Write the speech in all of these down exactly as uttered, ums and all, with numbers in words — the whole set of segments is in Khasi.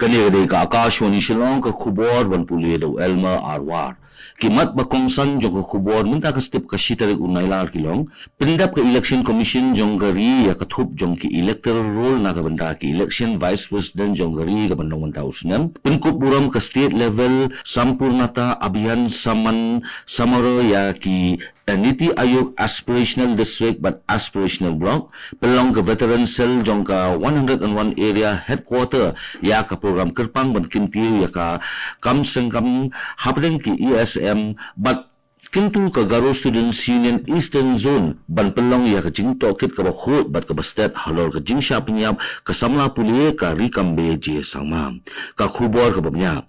Kane ka dei ka Akashvani Shillong, ka khubor ban pule da u Elmer Arwar. Ki mat ba kongsan jong ka khubor mynta ka step ka shi tarik u Nailar ki long: pyndep ka Election Commission jong ka ri ïa ka thup jong ki electoral roll na ka bynta ki election Vice President jong ka ri ka ban long mynta u snem. Pynkup burom ka state level Sampoornata Abhiyan Samman Samaroh ïa ki NITI Aayog Aspirational District bad Aspirational Block. Pynlong ka Veteran Cell jong ka one hundred and one Area Headquarter ïa ka program kyrpang ban kyntiew ïa ka kam sengkam hapdeng ki ESM bad kyntu ka Garo Students Union Eastern Zone ban pynlong ïa ka jingtohkit kaba khuid bad kaba stet halor ka jingshah pynïap ka samla pule ka Rikambe J Sangma. Ka khubor kaba bniah.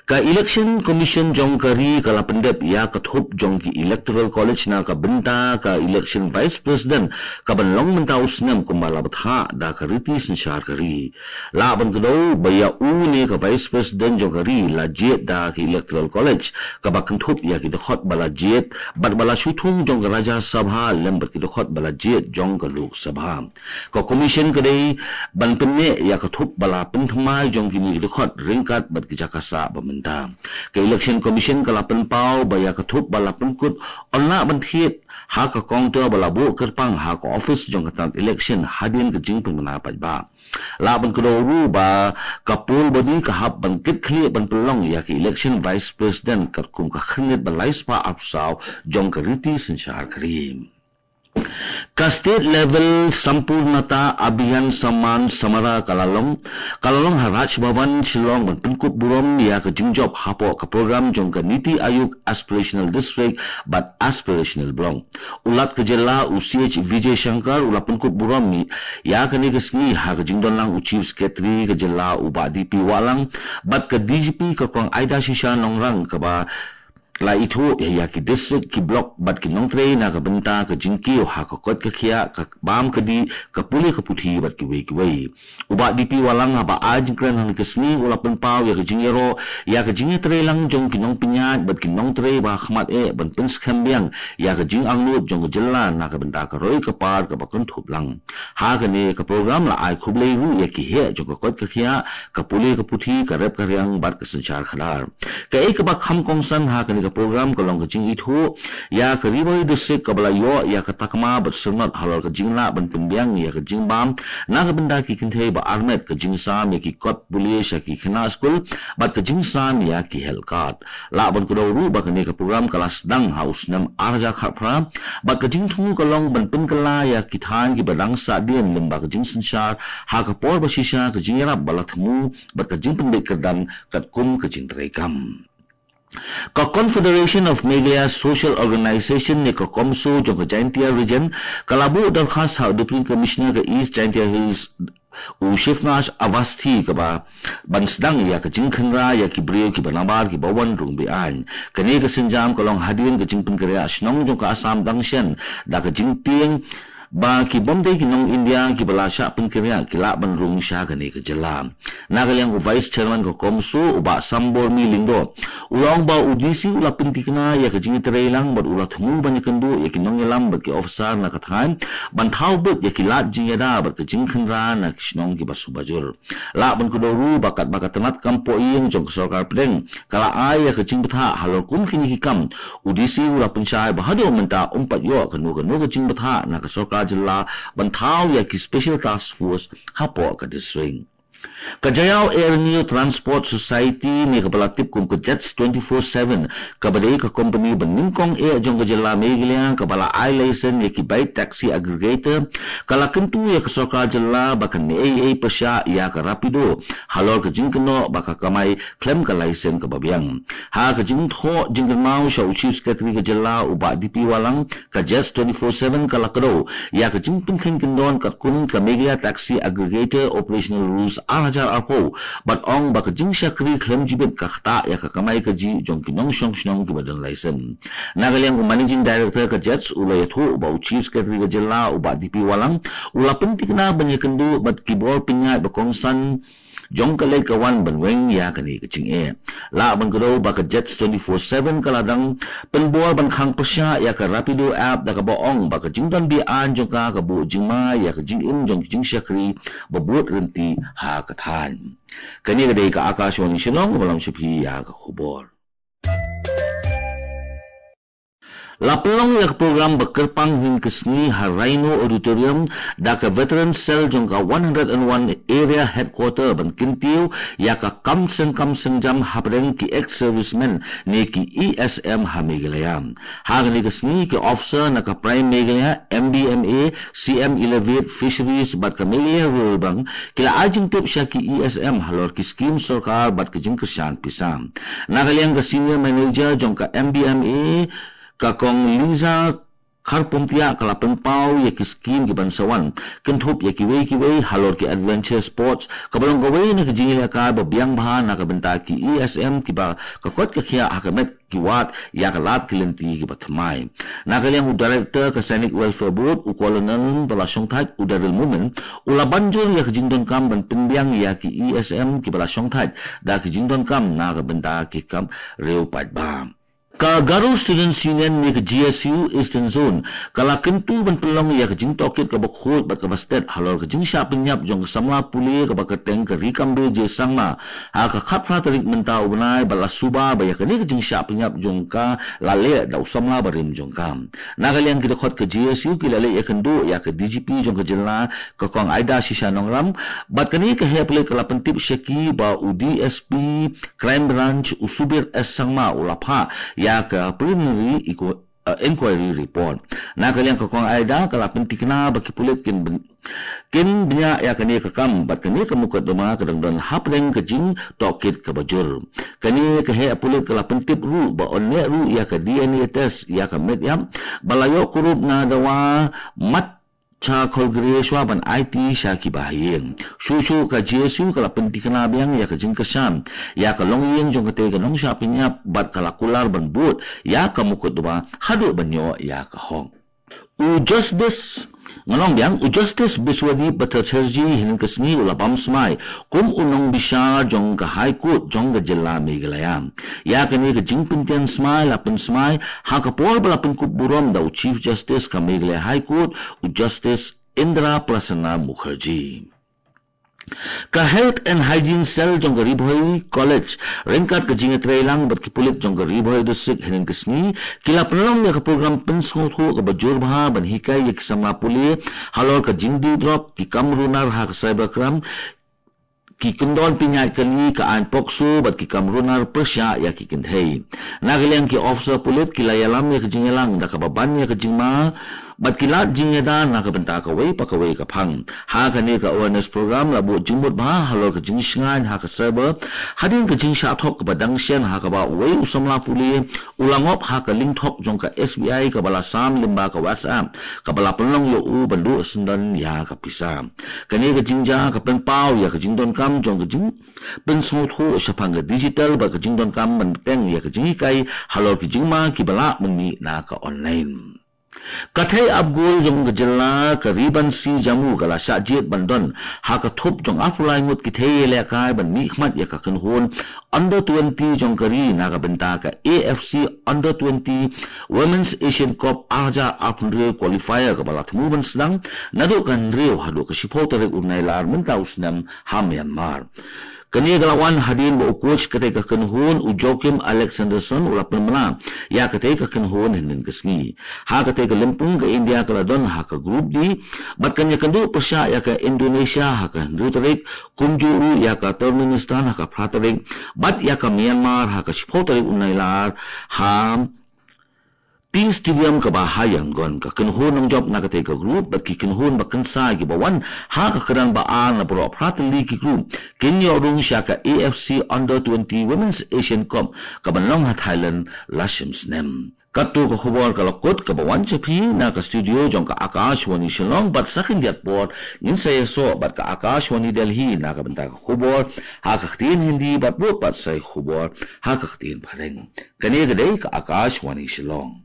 Ka Election Commission jong ka ri ka la pyndep ïa ka thup jong ki Electoral College na ka bynta ka election Vice President ka ban long mynta u snem kumba la bthah da ka riti synshar ka ri. Lah ban kdew ba ïa une ka Vice President jong ka ri la jied da ka Electoral College kaba kynthup ïa ki dkhot ba la jied bad ba la shu thung jong ka Rajya Sabha lem bad ki dkhot ba la jied jong ka Lok Sabha. Ka Commission ka dei ban pynneh ïa ka thup ba la pynthymmai jong kine ki dkhot ryngkat bad ki jaka sah ba mynta. Ka Election Commission ka la pynpaw ba ïa ka thup ba la pynkut yn lah ban thied ha ka counter ba la buh kyrpang ha ka office jong ka tnat election hadien ka jingpynbna paidbah. Lah ban kdew ruh ba ka poll body ka hap ban kit khlieh ban pynlong ïa ka election Vice President katkum ka khyrnit ba lai spah arphew saw jong ka riti synshar ka ri. Ka state level Sampoornata Abhiyan Samman Samaroh ka la long, ka la long ha Raj Bhavan Shillong ban pynkup burom ïa ka jingjop hapoh ka program jong ka NITI Aayog Aspirational District bad Aspirational Block. U Lat ka jylla u C H Vijay Shankar u la pynkup burom ïa kane ka sngi ha ka jingdon lang u Chief Secretary ka jylla u Bah D P Wahlang bad ka D G P ka Kong Ida Shisha Nongrang kaba la ithuh ïa ki district, ki block bad ki nongtrei na ka bynta ka jingkiew ha ka koit ka khiah, ka bam ka dih, ka pule ka puthi bad kiwei kiwei. U Bah D P Wahlang haba ai jingkren ha kane ka sngi u la pynpaw ïa ka jingïaroh ïa ka jingïatreilang jong ki nongpynïaid bad ki nongtrei ba khmat eh ban pynskhem biang ïa ka jingangnud jong ka jylla na ka bynta ka roi ka par kaba kynthup lang. Ha kane ka program la ai khublei ruh ïa ki heh jong ka koit ka khiah, ka pule ka puthi, ka rep ka riang bad ka synshar khadar. Kaei kaba kham kongsan ha kane ka program ka long ka jingithuh ïa ka Ri Bhoi District kaba la ïoh ïa ka takma bad syrnod halor ka jinglah ban pynbiang ïa ka jingbam na ka bynta ki kynthei ba armet, ka jingsam ïa ki kot pule sha ki khynnah skul bad ka jingsam ïa ki health card. Lah ban kdew ruh ba kane ka program ka la sdang ha u snem ar hajar khatphra bad ka jingthmu ka long ban pynkylla ïa ki thaiñ kiba dang sahdien lyngba ka jingsynshar ha ka por ba shisha, ka jingïarap ba la thmu bad ka jingpynbeit kyrdan katkum ka jingtreikam. Ka Confederation of Meghalaya Social Organisation ne ka CoMSO jong ka Jaintia Region ka la buh dorkhas ha u Deputy Commissioner ka East Jaintia Hills u Shivnath Awasthi kaba ban sdang ïa ka jingkhynra ïa ki briew kiba nabar kiba wan rung be-aiñ. Kane ka sienjam ka long hadien ka jingpynkynriah shnong jong ka Assam dang shen da ka jingtieng ba ki bym dei ki nong India kiba la shah pynkynriah ki lah ban rung sha kane ka jylla. Na ka liang u Vice Chairman ka CoMSO u Bah Sambormi Lyngdoh u la ong ba u DC u la pynthikna ïa ka jingïatreilang bad u la thmu ban ïakynduh ïa ki nongïalam bad ki officer na ka thaiñ ban thaw buit ïa ki lad jingïada bad ka jingkhynra na ki shnong kiba suba jur. Lah ban kdew ruh ba katba ka tnat kam pohïing jong ka sorkar pdeng ka la ai ïa ka jingbthah halor kum kine ki kam, u DC u la pynshai ba haduh mynta um pat ïoh kano kano ka jingbthah na ka sorkar jylla ban thaw ïa ki Special Task Force hapoh ka district. Ka Jaiaw Air New Transport Society ne kaba la tip kum ka Jets twenty-four seven, kaba dei ka company ba nyngkong eh jong ka jylla Meghalaya kaba la ai license ïa ki bike taxi aggregator, ka la kyntu ïa ka sorkar jylla ba kan ïai pyrshah ïa ka Rapido halor ka jingkynnoh ba ka kamai khlem ka license kaba biang. Ha ka jingthoh jingkynmaw sha u Chief Secretary ka jylla u Bah D P Wahlang, ka Jets twenty-four seven ka la kdew ïa ka jingpynkheiñ kyndon katkum ka Meghalaya Taxi Aggregator Operational Rules ar hajar arphew bad ong ba ka jingshakri khlem jibit ka ktah ïa ka kamai kajih jong ki nongshong shnong kiba don license. Na ka liang u Managing Director ka Jets u la ïathuh ba u Chief Secretary ka jylla u Bah D P Wahlang u la pynthikna ban ïakynduh bad ki bor pynïaid ba kongsan jong ka leit ka wan ban weng ïa kane ka jingeh. Lah ban kdew ba ka Jets twenty-four seven ka la dang pynbor ban khang pyrshah ïa ka Rapido app da kaba ong ba ka jingdon be-aiñ jong ka ka buh jingma ïa ka jingim jong ki jingshakri ba bud rynti ha ka thaiñ. Kane ka dei ka Akashvani Shillong, ba lam sha phi ïa ka khubor. La pynlong ïa ka program ba kyrpang hynnin ka sngi ha Rhino Auditorium da ka Veteran Cell jong ka one hundred and one Area Headquarter ban kyntiew ïa ka kam seng kam seng jam hapdeng ki ex-servicemen ne ki E S M ha Meghalaya. Ha kane ka sngi ki officer na ka Prime Meghalaya, M B M A, C M Elevate, Fisheries bad ka Meghalaya Rural Bank ki la ai jingtip sha ki E S M halor ki skim sorkar bad ka jingkyrshan pisa. Na ka liang ka Senior Manager jong ka M B M A, ka Kong Liza Kharpumtiah, ka la pynpaw ïa ki skim ki ban sa wan, kynthup ïa kiwei kiwei halor ki adventure sports, kaba long kawei na ka jingïalehkai ba biang bha na ka bynta ki E S M kiba ka koit ka khiah ha ka met ki wad ïa ka lad ki lynti kiba thymmai. Na ka liang u Director ka Sainik Welfare Board, u Colonel ba la shongthait, u Daryl Momin, u la ban jur ïa ka jingdonkam ban pynbiang ïa ki E S M kiba la shongthait da ka jingdonkam na ka bynta ki kam riewpaid ba. Ka Garo Students Union ne ka G S U Eastern Zone ka la kyntu ban pynlong ïa ka jingtohkit kaba khuid bad kaba stet halor ka jingshah pynïap jong ka samla pule kaba kyrteng ka Rikambe J Sangma ha ka khatphra tarik mynta u bnai, bad la suba ba ïa kane ka jingshah pynïap jong ka la leh da u samla barim jong ka. Na ka liang ki dkhot ka G S U ki la leit ïakynduh ïa ka D G P jong ka jylla, ka Kong Aida Shisha Nongrang, bad kane ka heh pulit ka la pyntip sha ki ba u D S P Crime Branch, u Subir S Sangma, u la phah ïa ka preliminary inqu-, uh, inquiry report. Na ka liang ka Kong Aida ka la pynthikna ba ki pulit kin byn-, kin bniah ïa kane ka kam bad kane ka mukotduma ka dang don hapdeng ka jingtohkit kaba jur. Kane ka heh pulit ka la pyntip ruh ba yn leh ruh ïa ka D N A test ïa ka met ïap ba la ïoh kurup na dawa mat cha kholgre shuwa ban aiti sha ki bahaïing. Shuh shuh ka G S U ka la pynthikna biang ïa ka jingkyrshan ïa ka longïing jong katei ka nongshah pynïap bad ka la kular ban bud ïa ka mukotduma haduh ban ïoh ïa ka hok. U Justice, ngan ong biang, u Justice Biswadip Bhattacharjee hynnin ka sngi u la bam smai kum u nongbishar jong ka High Court jong ka jylla Meghalaya. Ïa kane ka jingpyntian smai la pynsmai ha ka por ba la pynkup burom da u Chief Justice ka Meghalaya High Court, u Justice Indra Prasanna Mukherjee. Ka Health and Hygiene Cell jong ka Ri Bhoi College ryngkat ka jingïatreilang bad ki pulit jong ka Ri Bhoi District hynnin ka sngi ki la pynlong ïa ka program pynsngewthuh kaba jur bha ban hikai ïa ki samla pule halor ka jingdih drop, ki kam runar ha ka cybercrime, ki kyndon pynïaid kali, ka aiñ POCSO bad ki kam runar pyrshah ïa ki kynthei. Na ka liang ki officer pulit ki la ïalam ïa ka jingïalang da kaba ban ïa ka jingma bad ki lad jingïada na ka bynta kawei pa kawei ka phang. Ha kane ka awareness program la buh jingmut bha halor ka jingshngaiñ ha ka cyber hadien ka jingshah thok kaba dang shen ha kaba uwei u samla pule u la ngop ha ka link thok jong ka S B I kaba la sam lyngba ka WhatsApp kaba la pynlong ïa u ban duh syndon ïa ka pisa. Kane ka jingjia ka pynpaw ïa ka jingdonkam jong ka jingpynsngewthuh shaphang ka digital bad ka jingdonkam ban bteng ïa ka jinghikai halor ki jingma kiba lah mynmih na ka online. Ka thei ap gol jong ka jylla ka Ri Bansi Jammu ka la shah jied ban don ha ka thup jong arphew lai ngut ki thei ïalehkai ban mihkhmat ïa ka kynhun under twenty jong ka ri na ka bynta ka A F C under twenty Women's Asian Cup ar hajar arphew hynriew qualifier kaba la thmu ban sdang naduh ka hynriew haduh ka shiphew tarik u Nailar mynta u snem ha Myanmar. Kane ka la wan hadien ba u coach katei ka kynhun u Joachim Alexanderson u la pynbna ïa katei ka kynhun hynnin ka sngi. Ha katei ka lympung ka India ka la don ha ka Group D bad kan ïakynduh pyrshah ïa ka Indonesia ha ka hynriew tarik, kumjuh ruh ïa ka Turkmenistan ha ka phra tarik bad ïa ka Myanmar ha ka shiphew tarik u Nailar ha Tea Stadium kaba ha Yangon. Ka kynhun nongjop na katei ka group bad ki kynhun ba kynsai kiba wan ha ka kyrdan ba ar na baroh phra tylli ki group kin ïoh rung sha ka A F C Under twenty Women's Asian Cup kaban long ha Thailand la shim snem. Katto ka khubor ka la kut kaba wan sha phi na ka studio jong ka Akashvani Shillong, bad sa khyndiat por ngin sa ïasoh bad ka Akashvani Delhi na ka bynta ka khubor ha ka ktien Hindi bad bud pat sa ïa ka khubor ha ka ktien Phareng. Kane ka dei ka Akashvani Shillong.